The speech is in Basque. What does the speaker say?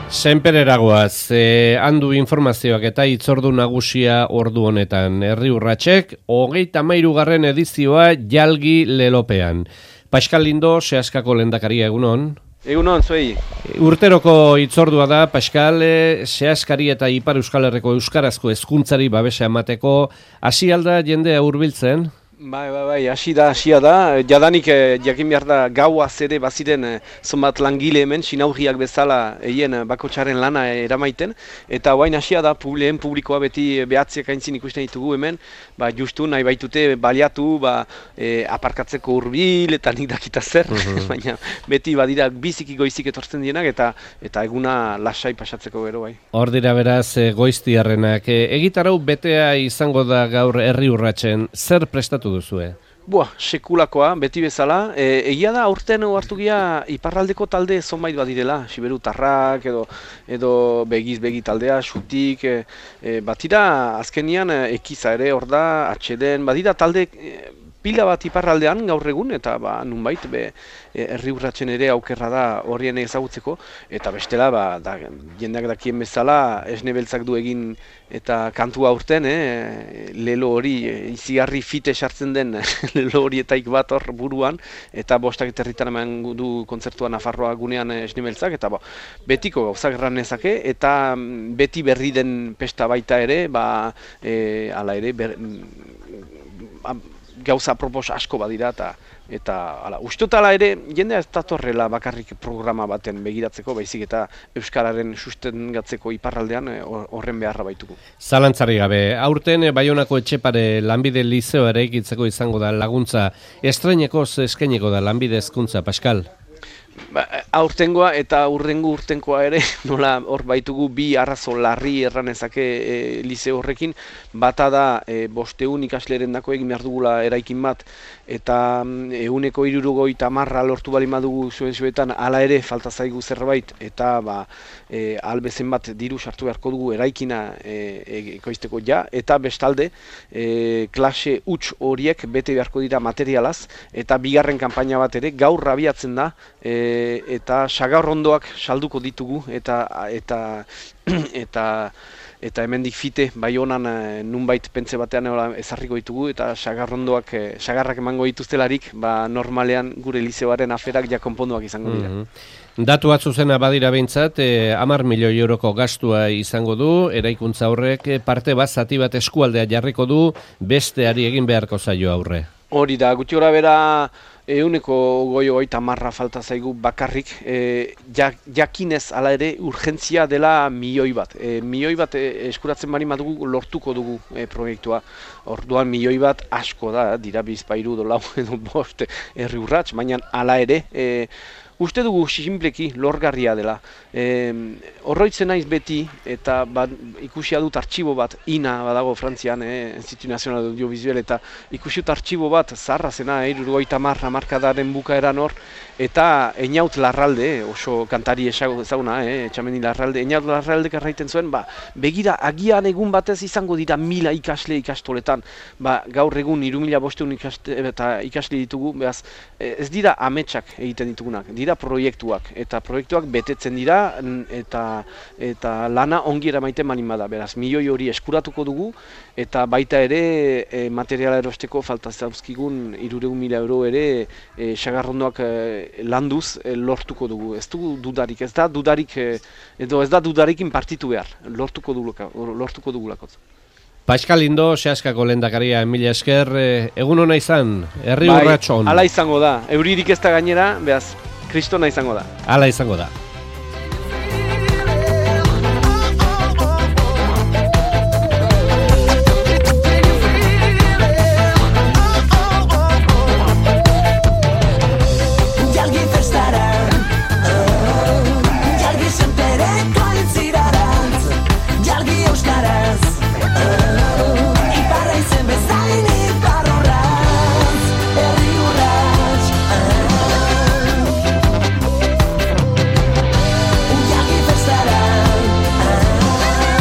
Senpereragoaz, handu informazioak eta hitzordu nagusia ordu honetan. Herri Urratsek, 33. edizioa jalgi lelopean. Pascal Lindo, Seaskako lehendakaria, egunon. Egunon, zuei. Urteroko hitzordua da, Pascal, Seaskari eta Ipar Euskal Herriko euskarazko hezkuntzari babesa emateko, hasi alda jendea hurbiltzen? Bai, hasia da. Jadanik jakin behar da gauaz ere baziren zonbat langile hemen, sinaurriak bezala eien bakotxaren lana eramaiten. Eta guain hasia da, lehen publikoa beti behatziak aintzin ikusten ditugu hemen, justu nahi baitute baliatu, aparkatzeko hurbil eta nik dakita zer, baina beti badira biziki goizik etortzen dienak eta eguna lasai pasatzeko gero bai. Hor dira beraz goiztiarrenak. Egitarau betea izango da gaur Herri Urratsen, zer prestatu duzue? Sekulakoa, beti bezala. Egia da, aurten hartu gira iparraldeko talde zonbait badirela, Siberutarrak edo begiz begi taldea, xutik, batira azkenian ekiza ere, hor da, atxeden, badira talde pila bat iparraldean gaur egun, eta nunbait, Herri Urratsen ere aukerra da horrien ezagutzeko, eta bestela, jendeak dakien bezala, esne beltzak du egin eta kantua aurten, lelo hori, izigarri fite sartzen den lelo horietaik bat hor buruan, eta bostak eterritan eman du kontzertua Nafarroa gunean esne beltzak, eta betiko gauzak erran nezake, eta beti berri den pesta baita ere, hala ere, gauza apropos asko badira eta ustotala ere jendea ez datorrela bakarrik programa baten begiratzeko, baizik eta euskararen sustengatzeko iparraldean horren beharra baitugu. Zalantzari gabe, aurten Baionako Etxepare lanbide lizeo eraikitzeko izango da laguntza, estreinekoz eskainiko da lanbide hezkuntza, Pascal? Aurtengoa eta urtengoa ere, nola hor baitugu bi arrazo larri erranezake lizeo horrekin, bata da 500 ikasleren dako egin behar dugula eraikin bat, eta 170 lortu bali madugu zuen hala ere falta zaigu zerbait, eta albezen bat diru sartu beharko dugu eraikina ekoizteko ja, eta bestalde klase huts horiek bete beharko dira materialaz, eta bigarren kanpaina bat ere gaur abiatzen da, eta sagarrondoak salduko ditugu eta hemendik fite Baionan nunbait pentze batean ezarriko ditugu eta sagarrak emango dituztelarik normalean gure lizeoaren aferak ja konponduak izango dira. Datu bat zuzena badira behintzat, 10 milioi euroko gastua izango du, eraikuntza horrek parte bat zati bat eskualdea jarriko du, besteari egin beharko zaio aurre. Hori da, gutxi gora bera 150 falta zaigu bakarrik, jakinez ala ere urgentzia dela milioi bat. Milioi bat eskuratzen bari madugu lortuko dugu proiektua. Orduan milioi bat asko da, dira bizpairu dolau edo bost Herri Urrats, baina ala ere, uste dugu sinpleki lorgarria dela. Horroitzen naiz beti, eta ikusia dut artxibo bat, INA badago Frantzian, Institut Nazional Audiovisuel, eta ikusi dut artxibo bat, zaharra zena, 70 hamarkadaren bukaeran hor, eta Einaut Larralde, oso kantari ezaguna, Etxamendi Larralde, Einaut Larraldek erraiten zuen, begira, agian egun batez izango dira 1000 ikasle ikastoletan, gaur egun 3500 ikasle ditugu, ez dira ametsak egiten ditugunak, dira proiektuak, eta proiektuak betetzen dira, eta lana ongi eramaiten baldin bada, beraz, milioi hori eskuratuko dugu, eta baita ere materiala erosteko falta zauzkigun 300.000 euro ere sagarrondoak landuz lortuko dugu. Ez da dudarikin partitu behar, lortuko dugulako. Pascal Lindo, Seaskako lehendakaria, mila esker, egun hona izan, Herri Urratson. Hala izango da, euririk ez da gainera, beraz, kristona izango da. Hala izango da.